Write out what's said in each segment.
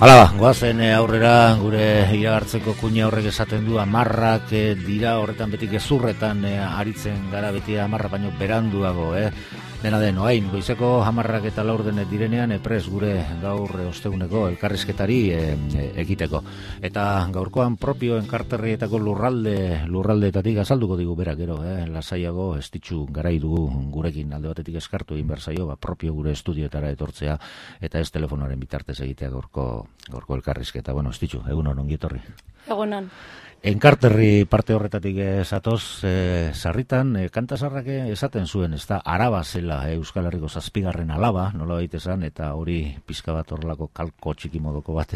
Hala, goazen aurrera gure iragartzeko kuña horrek esaten du amarrak dira, horretan beti gezurretan aritzen gara beti amarra baino beranduago, Dena den, oain, goizeko hamarrak eta laurden direnean epres gure gaur osteguneko elkarrizketari ekiteko. Eta gaurkoan propio enkarterrietako lurraldeetatik azalduko digu berak gero, lasaiago estitxu garai dugu gurekin alde batetik eskartu egin behar zaio, propio gure estudioetara etortzea eta ez telefonoaren bitartez egitea gaurko elkarrizketa. Bueno, estitxu, egunon ongi etorri. Egunon. Enkarterri parte horretatik zatoz, sarritan, kantasarrak esaten zuen, ez da, araba zela Euskal Herriko 7. alaba, nola baita esan, eta hori pizka bat horrelako kalko txiki modoko bat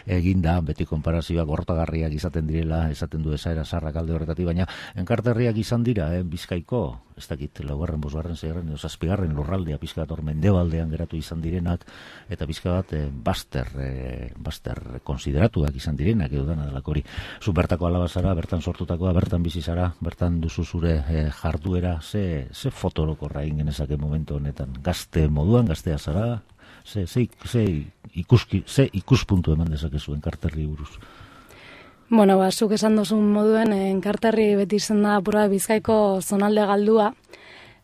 eginda, beti konparazioak gortagarriak izaten direla, esaten du esaera sarrak alde horretatik, baina enkarterriak izan dira, Bizkaiko, ez dakit, 4., 5., 6., 7. lurraldea pizka bat hor mendebaldean geratu izan direnak, eta pizka bat baster konsideratuak izan direnak, edo dana delako hori. Bertako alaba zara, bertan sortutakoa, bertan bizi zara, bertan duzu zure jarduera, ze fotorokorra egin genezake momentu honetan, gazte moduan, gaztea zara, ze ikuspuntu eman dezakezu enkarterri buruz? Bueno, zuk esan duzun moduen, enkarterri beti izan da apura Bizkaiko zonalde galdua,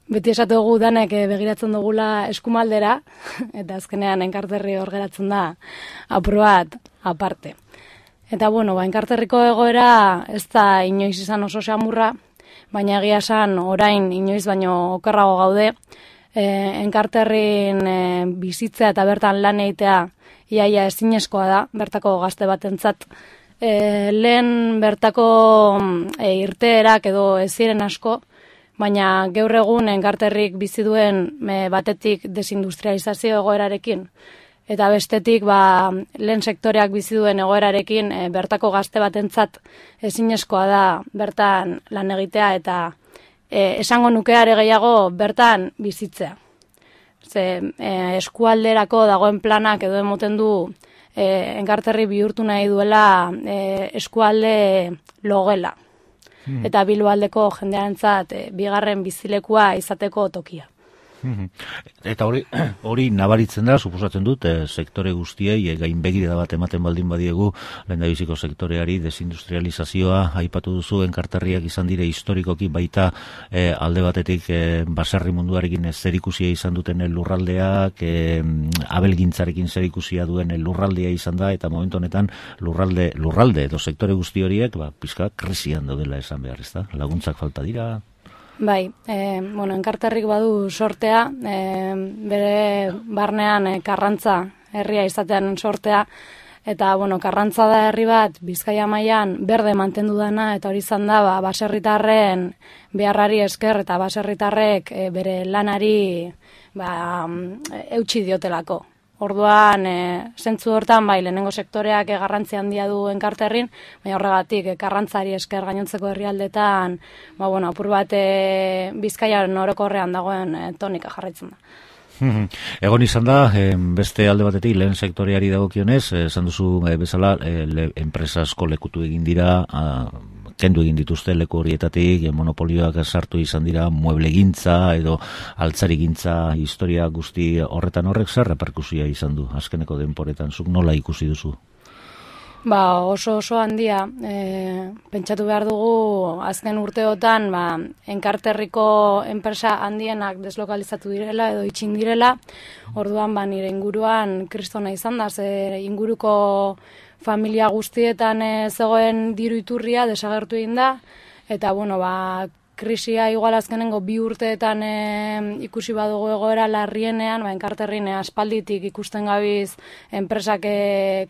beti esatu dugu danek begiratzen dugula eskumaldera, eta azkenean enkarterri hor geratzen da apur bat aparte. Eta bueno, enkarterriko egoera ez da inoiz izan oso xamurra, baina egia esan orain inoiz baino okerrago gaude. Enkarterrin bizitzea eta bertan lan egitea iaia ezinezkoa da, bertako gazte batentzat. Lehen bertako irteerak edo ez ziren asko, baina gaur egun enkarterrik bizi duen batetik desindustrializazio egoerarekin. Eta bestetik, lehen sektoreak bizi duen egoerarekin bertako gazte batentzat ezinezkoa da bertan lan egitea eta esango nukeare gehiago bertan bizitzea. Eskualderako dagoen planak edo emoten du enkarterri bihurtu nahi duela eskualde logela. Eta Bilboaldeko jendearentzat bigarren bizilekua izateko tokia. Eta hori nabaritzen da, suposatzen dut, sektore guztiei gainbegirada bat ematen baldin badiegu, lehendabiziko sektoreari desindustrializazioa aipatu duzu, enkarterriak izan dire historikoki baita alde batetik baserri munduarekin zerikusia izan duten lurraldeak, abelgintzarekin zerikusia duen lurraldea izan da, eta momentu honetan lurralde edo sektore guzti horiek pizka krisian daudela esan behar, ez da? Laguntzak falta dira. Bai, enkarterrik badu sortea, bere barnean Karrantza herria izatean sortea, eta Karrantza da herri bat Bizkaia mailan berde mantendu dana, eta hori izan da baserritarren beharrari esker eta baserritarrek bere lanari eutsi diotelako. Orduan, zentzu hortan, lehenengo sektoreak garrantzi handia du enkarterrin, baina horregatik, Karrantzari esker gainontzeko herrialdetan, apur bat Bizkaian orokorrean dagoen tonika jarraitzen da. Egon izan da, beste alde batetik, lehen sektoreari dagokionez, esan duzu bezala, enpresa asko lekutu egin dira, kendu egin dituzte leku horietatik, monopolioak sartu izan dira, mueblegintza edo altzarigintza historia guzti horrek zer reperkusia izan du, azkeneko denporetan, zuk nola ikusi duzu? Oso handia, pentsatu behar dugu azken urteotan enkarterriko enpresa handienak deslokalizatu direla edo itxin direla, orduan nire inguruan kristona izan da, inguruko familia guztietan zegoen diru iturria desagertu egin da, eta krisia igual azkenengo 2 urteetan ikusi badugu egoera larrienean, enkarterrin aspalditik ikusten gabiz enpresak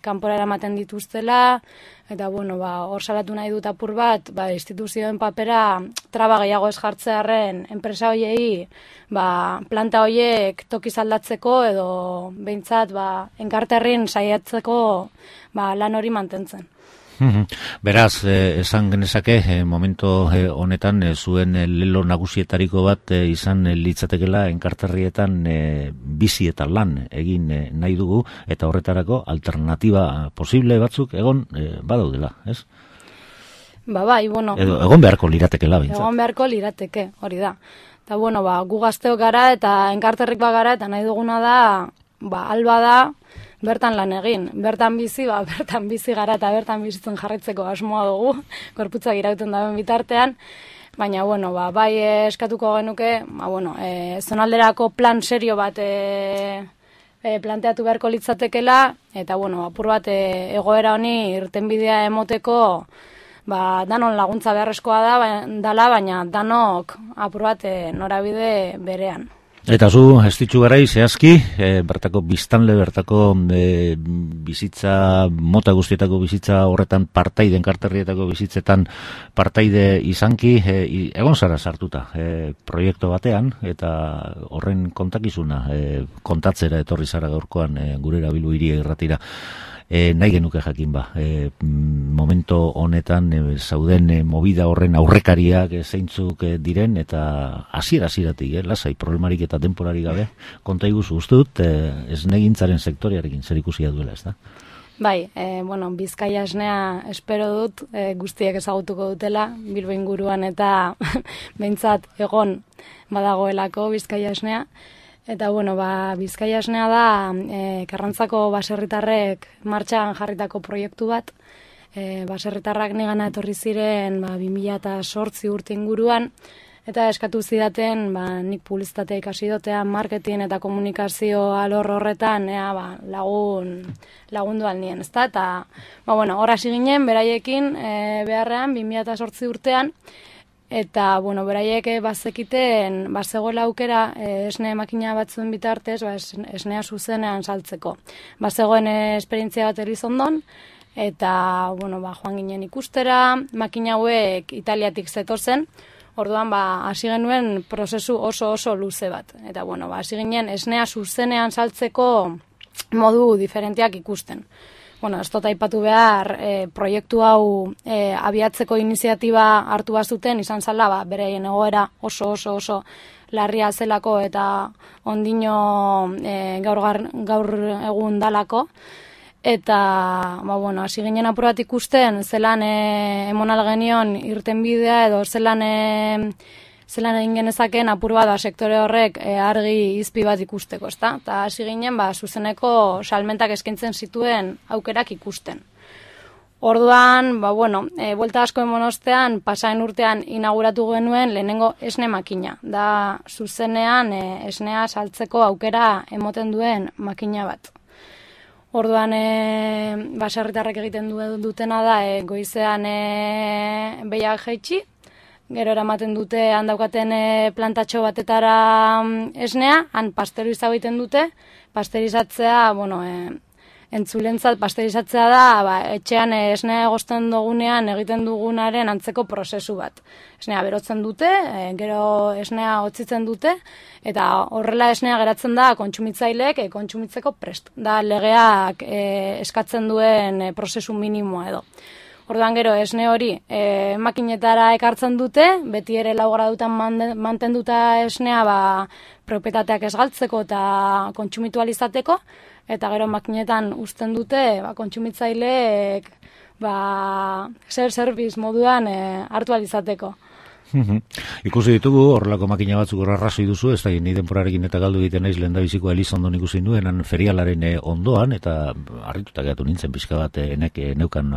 kanpora eramaten dituztela, eta hor salatu nahi dut apur bat, instituzioen papera traba gehiago ez jartzearren enpresa hoiei, planta hoiek tokiz aldatzeko edo behintzat enkarterrin saiatzeko lan hori mantentzen. Beraz, esan genezake, momento honetan zuen lelo nagusietariko bat izan litzatekela enkarterrietan bizi eta lan egin nahi dugu, eta horretarako alternatiba posible batzuk egon badaudela, ez? Egon beharko liratekela, bintzat. Egon beharko lirateke, hori da. Eta gu gazteok gara eta enkarterrik bagara, eta nahi duguna da, alba da, bertan lan egin. Bertan bizi, bertan bizi gara eta bertan bizitzen jarraitzeko asmoa dugu, gorputzak irauten daben bitartean. Baina, bai eskatuko genuke, zonalderako plan serio bat planteatu beharko litzatekela, eta, apur bat egoera honi irtenbidea emoteko, danon laguntza beharrezkoa dala, baina danok apur bat norabide berean. Eta zu, ez ditzu garai, zehazki, bertako biztanle, bertako bizitza, mota guztietako bizitza horretan partaide, enkarterrietako bizitzetan partaide izanki, egon zara sartuta proiektu batean, eta horren kontakizuna kontatzera etorri zara gaurkoan gurera Bilbo Hiria Irratira. Nahi genuke jakin momento honetan zauden movida horren aurrekariak zeintzuk diren, eta hasieratik lasai problemarik eta denporarik gabe konta iguzu, uste dut esnegintzaren sektorearekin zer ikusia duela, ez da? Bai, Bizkaia esnea espero dut guztiek ezagutuko dutela, Bilbo inguruan eta behintzat egon badagoelako Bizkaia esnea. Eta, Bizkaia esnea da Karrantzako baserritarrek martxan jarritako proiektu bat. Baserritarrak nigana etorri ziren 2008 urte inguruan, eta eskatu zidaten nik publizitatea ikasi dotea, marketing eta komunikazio alor horretan lagundu alnien, ezta? Eta, hor hasi ginen, beraiekin beharrean 2008 urtean, eta, beraiek bazekiten, bazegoela aukera esne makina batzuen bitartez, esnea zuzenean saltzeko. Bazegoen esperientzia bat Elizondon, eta, joan ginen ikustera, makina hauek Italiatik zetozen, orduan, hasi genuen prozesu oso luze bat. Eta, hasi ginen esnea zuzenean saltzeko modu diferenteak ikusten. Ez dut aipatu behar, proiektu hau abiatzeko iniziatiba hartu bazuten, izan zala, bereien egoera oso larria zelako eta ondino gaur egun dalako. Eta, hasi ginen apur bat ikusten, zelan emonal genion irtenbidea edo zelan egin genezaken apur bat sektore horrek argi izpi bat ikusteko, ezta? Eta hasi ginen zuzeneko salmentak eskaintzen zituen aukerak ikusten. Orduan, buelta asko emon ostean, pasaen urtean inauguratu genuen lehenengo esne makina. Da zuzenean esnea saltzeko aukera emoten duen makina bat. Orduan, baserritarrek egiten dutena da, goizean behiak jaitsi, gero eramaten dute handaukaten plantatxo batetara esnea, han pasteriza egiten dute, pasterizatzea, entzulentzat pasterizatzea da, etxean esnea egosten dugunean egiten dugunaren antzeko prozesu bat. Esnea berotzen dute, gero esnea hotzitzen dute, eta horrela esnea geratzen da kontsumitzaileek kontsumitzeko prest. Da legeak eskatzen duen prozesu minimoa edo. Orduan gero esne hori makinetara ekartzen dute, beti ere 4 gradutan mantenduta esnea propietateak ez galtzeko eta kontsumitu eta gero makinetan uzten dute kontsumitzaileek self-service moduan hartu izateko. Ikusi ditugu, horrelako makina batzuk arrazoi duzu, ez da ni denporarekin eta galdu egiten naiz lehendabizikoa Elizondon ikusi nuenan ferialaren ondoan, eta harrituta geratu nintzen pixka bat neukan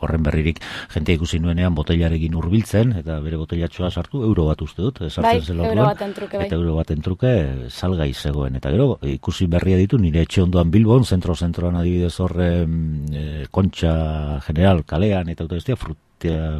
horren berririk jentea ikusi nuenean boteilarekin hurbiltzen, eta bere boteilatxoa sartu, euro bat uste dut, sartzen zela orduan, eta euro baten truke salgai zegoen, eta gero ikusi berria ditu nire etxe ondoan Bilbon, zentroan adibidez horre Kontxa General kalean, eta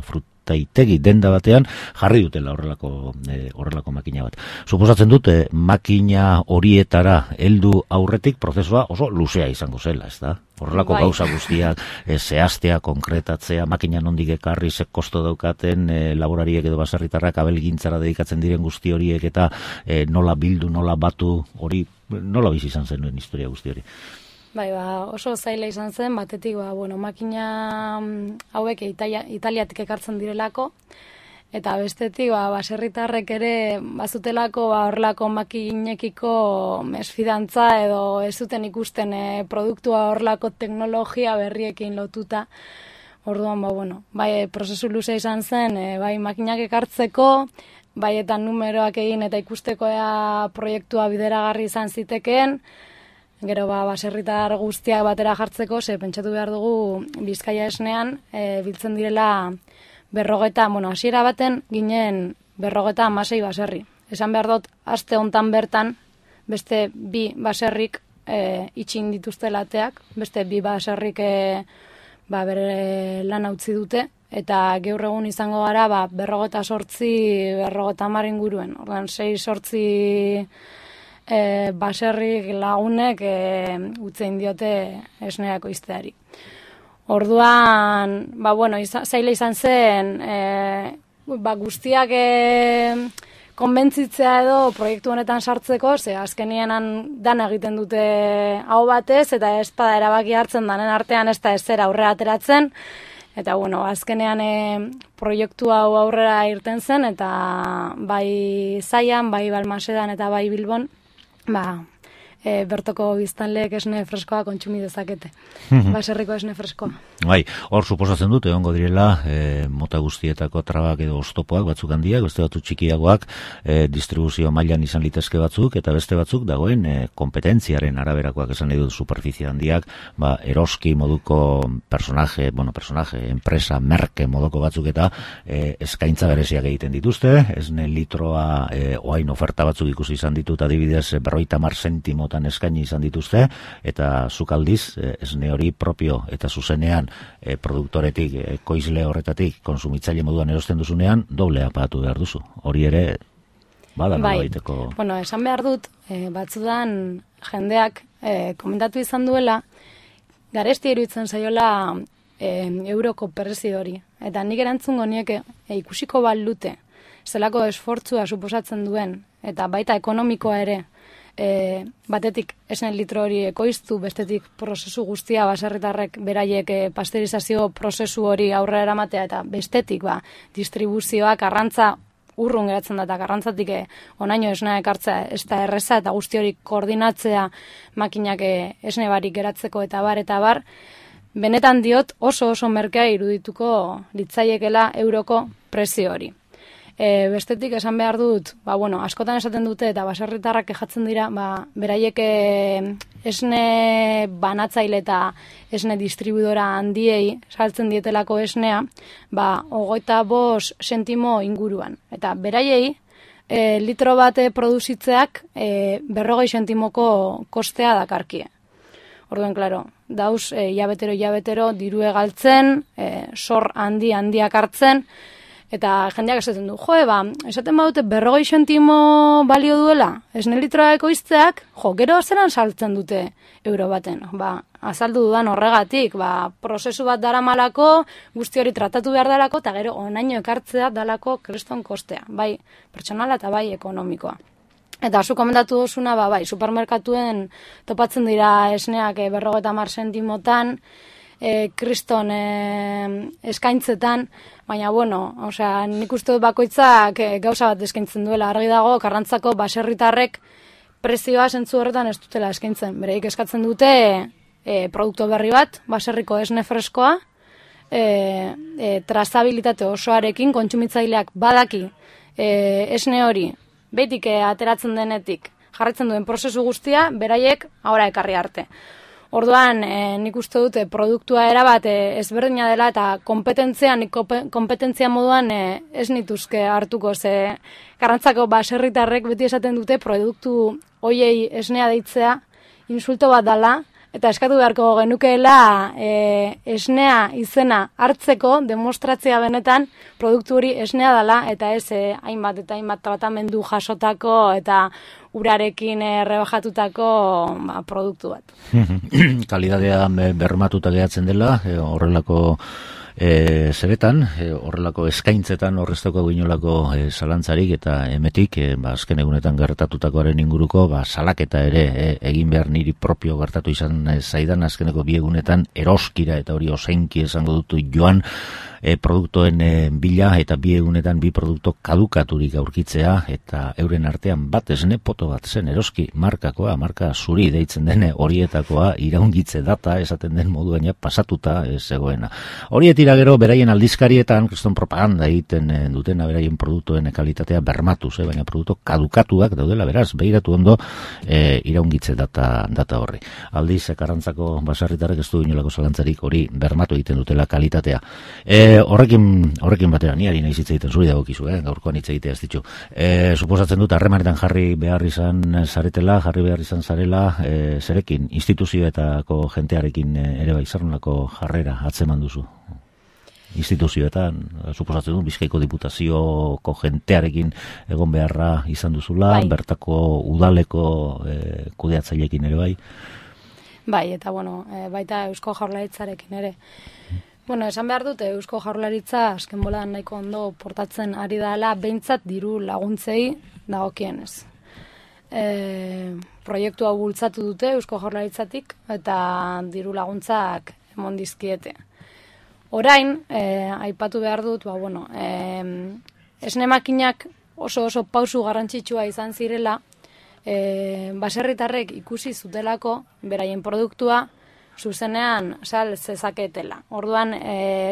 frutaitegi denda batean jarri dutela horrelako makina bat. Suposatzen dute makina horietara heldu aurretik prozesua oso luzea izango zela, ez da? Horrelako gauza guztiak zehaztea, konkretatzea, makina nondik ekarri, ze kosto daukaten laborariek edo baserritarrak abelgintzara dedikatzen diren guzti horiek eta nola bildu, nola batu, hori nola bizi izan zenuen historia guzti hori. Oso zaila izan zen, batetik, makina hauek Italiatik ekartzen direlako, eta bestetik, baserritarrek ere bazutelako horrelako makinekiko mesfidantza edo ez zuten ikusten produktua horrelako teknologia berriekin lotuta. Orduan, prozesu luze izan zen, makinak ekartzeko, eta numeroak egin eta ikusteko proiektua bideragarri izan zitekeen, Gero baserritar guztiak batera jartzeko, pentsatu behar dugu Bizkaia esnean biltzen direla hasiera baten ginen 56 baserri. Esan behar dut, aste hontan bertan, beste 2 baserrik itxin dituzte lateak, beste 2 baserrik bere lan utzi dute, eta gaur egun izango gara 58 inguruen. Ordan 6-8 baserrik lagunek utzein diote esneako izteari. Orduan, zaila izan zen, guztiak konbentzitzea edo proiektu honetan sartzeko, azkenean dan egiten dute hau batez, eta ez da erabaki hartzen danen artean ez da ezer aurrera ateratzen, eta azkenean proiektu hau aurrera irten zen, eta bai Zaian, bai Balmasedan eta bai Bilbon, bertoko biztanleek esne freskoa kontsumi dezakete. Baserriko esne freskoa. Bai, hor suposatzen dut, egongo direla, mota guztietako trabak edo oztopoak batzuk handiak, beste batzuk txikiagoak, distribuzio mailan izan litezke batzuk, eta beste batzuk dagoen kompetentziaren araberakoak esan nahi dut superficie handiak, eroski moduko personaje, enpresa, merke moduko batzuk eta eskaintza bereziak egiten dituzte, esne litroa oain oferta batzuk ikusi izan ditut, adibidez 50 zentimotan eskaini izan dituzte, eta zuk aldiz, esne hori propio eta zuzenean produktoretik, ekoizle horretatik, konsumitzaile moduan erosten duzunean, doblea pagatu behar duzu. Hori ere, bada nola baiteko... Esan behar dut, batzudan jendeak komentatu izan duela, garesti iruditzen zaiola euroko prezio hori. Eta nik erantzungo nieke ikusiko balute, zelako esfortzua suposatzen duen, eta baita ekonomikoa ere, batetik esne litro hori ekoiztu, bestetik prozesu guztia baserritarrek beraiek pasteurizazio prozesu hori aurrera eramatea, eta bestetik distribuzioak arrantza urrun geratzen da, eta garrantzatik onaino esnea ekartzea ez da erreza, eta guzti hori koordinatzea makinak esne barik geratzeko eta bar, benetan diot oso merkea irudituko litzaiekela euroko prezio hori. Bestetik esan behar dut, askotan esaten dute eta baserritarrak kejatzen dira, beraiek esne banatzaile eta esne distribuidora handiei saltzen dietelako esnea, 25 zentimo inguruan. Eta beraiei, litro bate produzitzeak 40 zentimoko kostea dakarkie. Orduan, klaro, dauz, hilabetero dirue galtzen, sor handiak hartzen, eta jendeak esaten du, esaten badute 40 zentimo balio duela, esne litroa ekoizteak, gero zelan saltzen dute euro baten. Azaldu dudan horregatik, prozesu bat daramalako, guzti hori tratatu behar dalako, eta gero onaino ekartzea dalako kriston kostea, bai pertsonala eta bai ekonomikoa. Eta zu komentatu duzuna, supermerkatuen topatzen dira esneak 50 zentimotan, kriston eskaintzetan, baina, nik uste dut bakoitzak gauza bat eskaintzen duela, argi dago, Karrantzako baserritarrek prezioa zentzu horretan ez dutela eskaintzen. Bereik eskatzen dute produktu berri bat, baserriko esne freskoa, trazabilitate osoarekin, kontsumitzaileak badaki esne hori, behitik ateratzen denetik, jarraitzen duen prozesu guztia, beraiek ahora ekarri arte. Orduan, nik uste dute produktua erabat ezberdina dela eta kompetentzia moduan ez nituzke hartuko, ze Karrantzako baserritarrek beti esaten dute produktu hoiei esnea deitzea insulto bat dela, eta eskatu beharko genukeela esnea izena hartzeko demostratzea benetan produktu hori esnea dela, eta ez hainbat tratamendu jasotako eta urarekin rebajatutako produktu bat. Kalidadea bermatuta gehatzen dela, horrelako zeretan, horrelako eskaintzetan horreztoko guinolako zalantzarik, eta emetik, azken egunetan gertatutakoaren inguruko, salaketa ere egin behar niri propio gertatu izan zaidan, azkeneko 2 egunetan eroskira, eta hori oseinki esango dutu joan, produktuen bila, eta bi egunetan bi produkto kadukaturik aurkitzea, eta euren artean bat esne poto bat zen eroski markakoa, marka zuri deitzen dene horietakoa, iraungitze data esaten den moduan pasatuta zegoena. Horietira gero beraien aldizkarietan kriston propaganda egiten dutena beraien produktuen kalitatea bermatuz, baina produktu kadukatuak daudela, beraz, behiratu ondo iraungitze data horri. Aldiz, Karrantzako baserritarrek ez du inolako zalantzarik hori bermatu egiten dutela kalitatea. Horrekin batera, niari nahi zitza egiten zuri dagokizu, gaurkoan hitz egitea ez ditu. Suposatzen dut, harremanetan jarri behar izan zarela, zerekin, instituzioetako jentearekin ere bai, zernolako jarrera atzeman duzu? Instituzioetan, suposatzen dut, Bizkaiko Diputazioko jentearekin egon beharra izan duzula, bai. Bertako udaleko kudeatzailekin ere bai. Bai, eta baita Eusko Jaurlaritzarekin ere. Esan behar dute Eusko Jaurlaritza azken bolan nahiko ondo portatzen ari dela, behintzat diru laguntzei dagokienez. Proiektua bultzatu dute Eusko Jaurlaritzatik eta diru laguntzak emon dizkiete. Orain, aipatu behar dut, esne makinak oso pausu garrantzitsua izan zirela, baserritarrek ikusi zutelako beraien produktua zuzenean sal zezaketela. Orduan,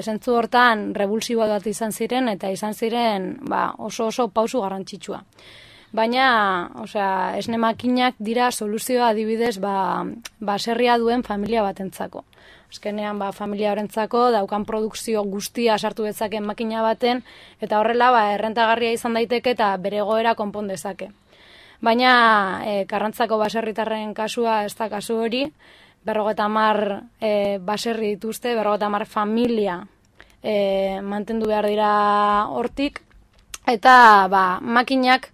zentzu hortan revulsiboa bat izan ziren eta izan ziren oso pausu garrantzitsua. Baina, esne makinak dira soluzioa adibidez baserria duen familia batentzako. Azkenean, familia horrentzako daukan produkzio guztia sartu dezaken makina baten, eta horrela errentagarria izan daiteke eta bere egoera konpon dezake. Baina, Karrantzako baserritarren kasua ez da kasu hori, 50 baserri dituzte, 50 familia mantendu behar dira hortik, eta makinak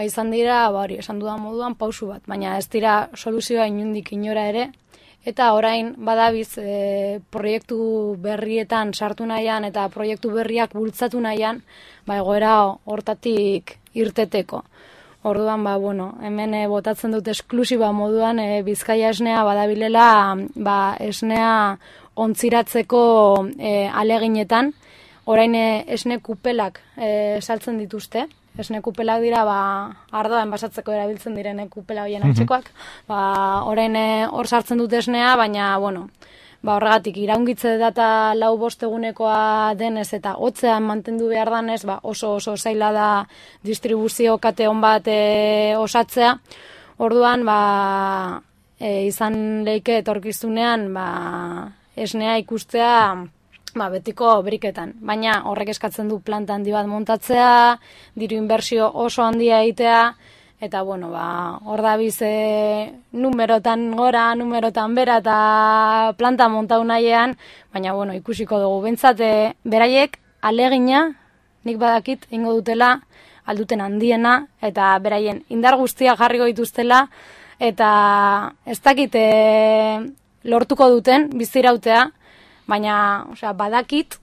izan dira, esan dudan moduan, pausu bat, baina ez dira soluzioa inundik inora ere, eta orain badabiz proiektu berrietan sartu nahian eta proiektu berriak bultzatu nahian, egoera hortatik irteteko. Orduan, hemen botatzen dut esklusiba moduan Bizkaia esnea badabilela esnea ontziratzeko aleginetan. Orain esne kupelak saltzen dituzte. Esne kupelak dira ardoa enbasatzeko erabiltzen diren kupela horien antzekoak. Orain hor sartzen dut esnea, baina horregatik iraungitze data 4-5 egunekoa denez eta hotzean mantendu behar danez, oso zaila da distribuzio kate on bat osatzea. Orduan, izan leike etorkizunean esnea ikustea betiko briketan. Baina horrek eskatzen du planta handi bat montatzea, diru inbertsio oso handia egitea, eta hor dabiz numerotan gora, numerotan bera eta planta montau nahian, baina ikusiko dugu. Bentsat, beraiek alegina, nik badakit, ingo dutela, alduten handiena, eta beraien indar guztia jarriko dituztela, eta ez dakit lortuko duten bizirautea, baina badakit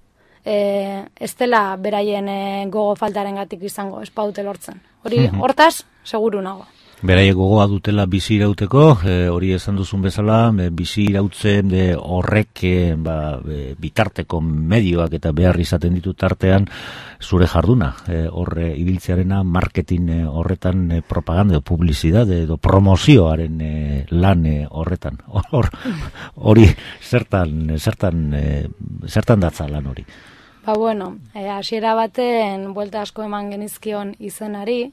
ez dela beraien gogo faltarengatik izango, ez paute lortzen. Hortaz, seguru nago. Beraiek gogoa dutela bizi irauteko, hori esan duzun bezala, bizi irautzen horrek bitarteko medioak eta behar izaten ditu tartean zure jarduna. Horre ibiltzearena marketing horretan propaganda edo publizidade edo promozioaren lan horretan. Hori zertan datza lan hori? Hasiera baten buelta asko eman genizkion izenari,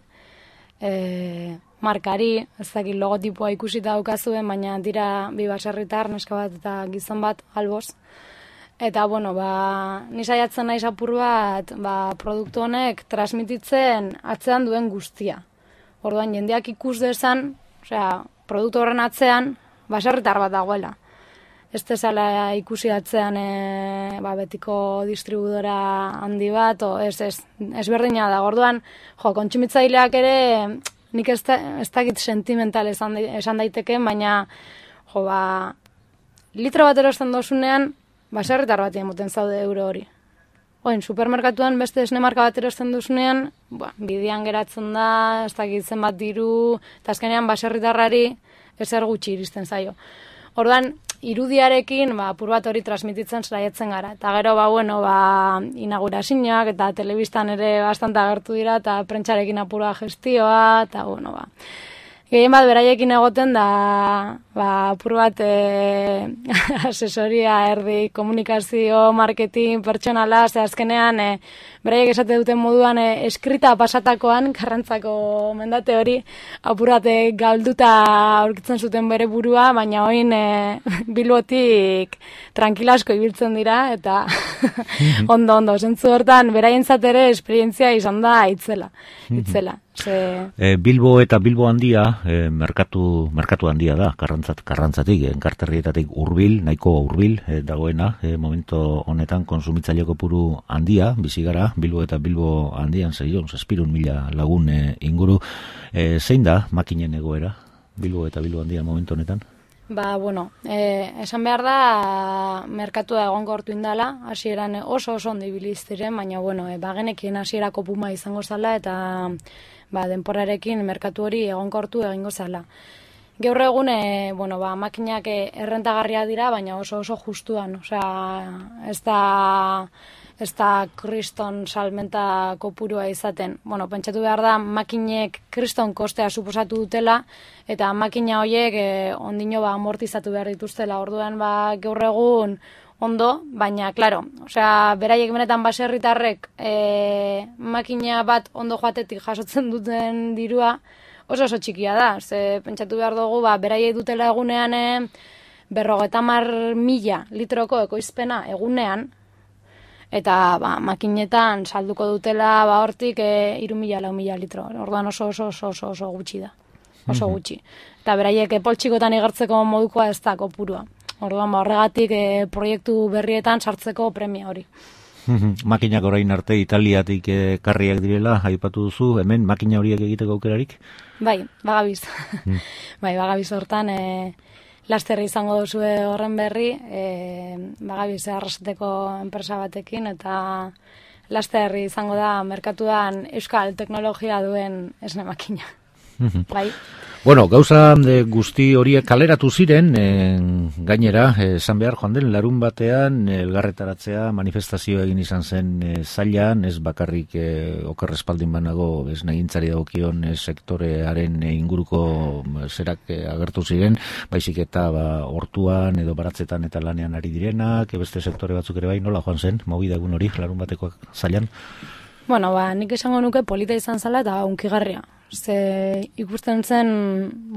markari, ez dakit logotipoa ikusita daukazuen, baina dira bi baserritar, neska bat eta gizon bat, alboz. Eta, ni saiatzen naiz apur bat, produktu honek transmititzen atzean duen guztia. Orduan, jendeak ikus dezan, produktu horren atzean, baserritar bat dagoela. Ez dezala ikusi atzean betiko distribuidora handi bat, ez berdina da. Orduan, kontsumitzaileak ere, nik ez dakit sentimental esan daiteken, baina litro bat erosten dozunean, baserritar bat emoten zaude euro hori. Supermerkatuan beste esne marka bat erosten duzunean, bidean geratzen da, ez dakit zenbat diru, eta azkenean baserritarrari ezer gutxi iristen zaio. Orduan, irudiarekin apur bat hori transmititzen saiatzen gara. Eta gero, inaugurazioak eta telebistan ere bastante agertu dira, eta prentsarekin apura gestioa, eta gehien bat beraiekin egoten da, apur bat asesoria, erdi, komunikazio, marketing, pertsonala, azkenean beraiek esate duten moduan eskrita pasatakoan, Karrantzako mendate hori, apur bat galduta aurkitzen zuten bere burua, baina oin Bilbotik tranquilasko ibiltzen dira, eta ondo, zentzu hortan, beraientzat ere esperientzia izan da itzela. Bilbo eta Bilbo handia, merkatu handia da, Karrantzatik, enkarterrietatik hurbil, nahiko hurbil dagoena, momento honetan konsumitzaile kopuru handia, bizi gara, Bilbo eta Bilbo handian, 600.000 lagun inguru. Zein da makinen egoera, Bilbo eta Bilbo handian momentu honetan? Esan behar da, merkatua egonkortu indala, hasieran oso ondo ibili ziren, baina, bagenekien hasierako puma izango zala, eta denporarekin merkatu hori egonkortu egingo zala. Gaur egun, makinak errentagarria dira, baina oso justuan, ez da kriston salmenta kopurua izaten. Pentsatu behar da, makinek kriston kostea suposatu dutela, eta makina horiek ondino amortizatu behar dituztela. Orduan, gaur egun ondo, baina, klaro, beraiek benetan baserritarrek makina bat ondo joatetik jasotzen duten dirua oso txikia da. Pentsatu behar dugu, beraiek dutela egunean 50.000 litroko ekoizpena egunean, eta makinetan salduko dutela hortik 3.000-4.000 litro. Orduan oso gutxi da. Oso gutxi. Eta beraiek poltsikotan igartzeko modukoa ez da kopurua. Orduan horregatik proiektu berrietan sartzeko premia hori. Makinak orain arte Italiatik karriak direla, aipatu duzu, hemen makina horiek egiteko aukerarik? Bai, bagabiz. Bagabiz hortan, lasterri izango duzue horren berri, bagabiz arrasateko enpresa batekin, eta lasterri izango da merkatuan euskal teknologia duen esne makina. Bai. Gauza guzti horiek kaleratu ziren, gainera, esan behar joan den, larun batean, elgarretaratzea manifestazio egin izan zen zailan, ez bakarrik okerrespaldin banago, ez negintzari dagokion sektorearen inguruko zerak agertu ziren, baizik eta hortuan edo baratzetan eta lanean ari direnak, beste sektore batzuk ere bai, nola joan zen, movida egun hori, larun bateko zailan? Nik esango nuke polita izan zala eta unkigarria. Ikusten zen,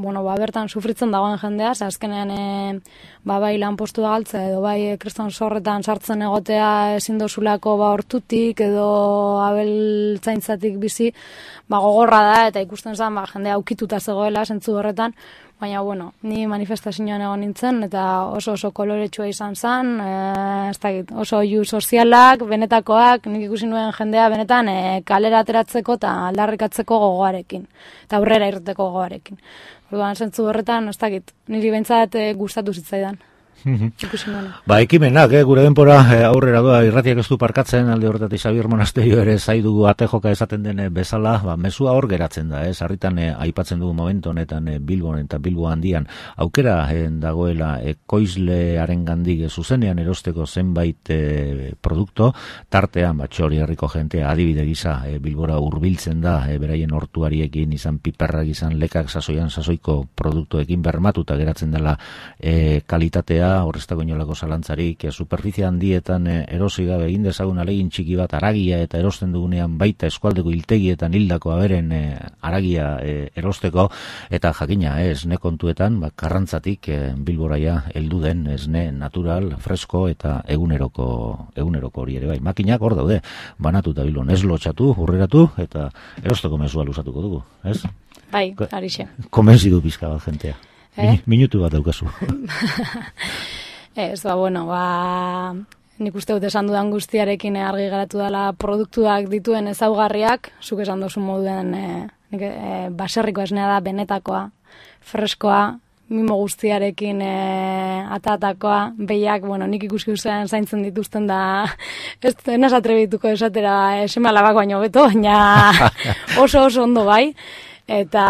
bertan sufritzen dagoen jendea, azkenean bai lanpostua galtzea edo bai kriston zorretan sartzen egotea ezin dozulako hortutik edo abeltzaintzatik bizi, gogorra da, eta ikusten zen jendea aukituta zegoela zentzu horretan, baina, ni manifestazioan egon nintzen, eta oso koloretsua izan zen, oso iu sozialak, benetakoak, nik ikusi nuen jendea benetan kalera ateratzeko eta aldarrikatzeko gogoarekin, eta aurrera irteko gogoarekin. Orduan, zentzu horretan, niri behintzat gustatu zitzaidan. Ekimenak, gure denpora aurrera doa, irratiak ez du parkatzen, alde horretatik Xabier Monasterio ere zaidugu atejoka esaten den bezala, mesua hor geratzen da, sarritan aipatzen dugu momentu honetan Bilbon eta Bilbo handian aukera dagoela ekoizlearen gandik zuzenean erosteko zenbait produkto, tartean Txori herriko jentea adibide gisa Bilbora hurbiltzen da, beraien hortuariekin izan piperrak izan lekak sasoiko produktuekin bermatuta geratzen dela kalitatea, horreztako inolako zalantzarik, superficie handietan erosi gabe egin dezagun alegin txiki bat aragia eta erosten dugunean baita eskualdeko hiltegietan hildako aberen aragia erosteko, eta jakina esne kontuetan, Karrantzatik Bilboraia heldu den esne natural, fresko eta eguneroko hori ere bai. Makinak hor daude, banatuta Bilbon, ez lotxatu, hurreratu, eta erosteko mesua luzatuko dugu, ez? Bai, arixe. Konbentzidu pizka bat jentea. Minutu bat daukazu. Nik uste dut esan dudan guztiarekin argi geratu dela produktuak dituen ezaugarriak, zuk esan duzu moduen baserriko esnea da, benetakoa, freskoa, mimo guztiarekin atatakoa, behiak, nik ikusi ustean zaintzen dituzten da, ez naz atrebituko esatera eseme alabak baino beto, baina oso ondo bai, eta,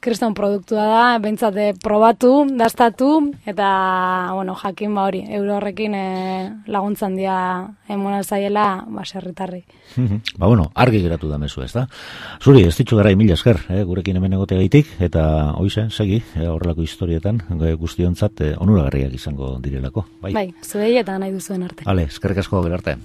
kriston produktua da, bentsate probatu, dastatu, eta, jakin hori, euro horrekin laguntzan dia emona zaiela, serritarri. Argi geratu da mezu, ez da? Zuri, ez ditxu gara mila esker, gurekin hemen egoteagaitik, eta hoizen, segi, horrelako historietan, guztiontzat onuragarriak izango direlako. Bai, zuei eta nahi duzuen arte. Eskerrik asko, gerarte.